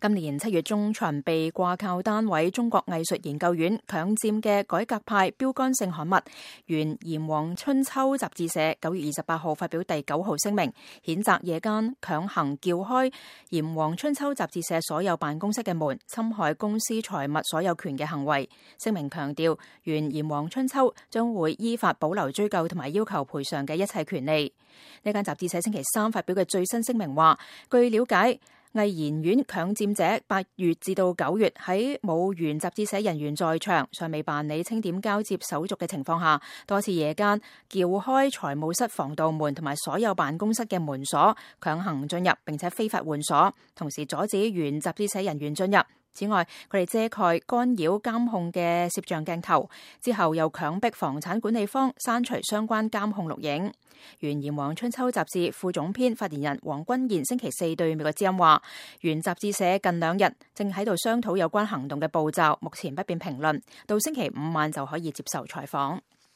今年7月中旬被掛靠單位中國藝術研究院強佔嘅改革派標杆性刊物《原炎黃春秋》雜誌社9月28號發表第9號聲明，譴責夜間強行撬開炎黃春秋雜誌社所有辦公室嘅門，侵害公司財物所有權嘅行為。聲明強調，原炎黃春秋將會依法保留追究同埋要求賠償嘅一切權利。呢間雜誌社星期3發表嘅最新聲明話，據了解，藝研院強佔者8月至到9月喺冇原雜誌社人員在場、尚未辦理清點交接手續嘅情況下，多次夜間撬開財務室防盜門同埋所有辦公室嘅門鎖，強行進入並且非法換鎖，同時阻止原雜誌社人員進入。此外，佢哋遮蓋干擾監控嘅攝像鏡頭，之後又強迫房產管理方刪除相關監控錄影。原炎黃春秋雜誌副總編發言人黃君賢星期4對美國之音話，原雜誌社近2日正喺度商討有關行動嘅步驟，目前不便評論，到星期5晚就可以接受採訪。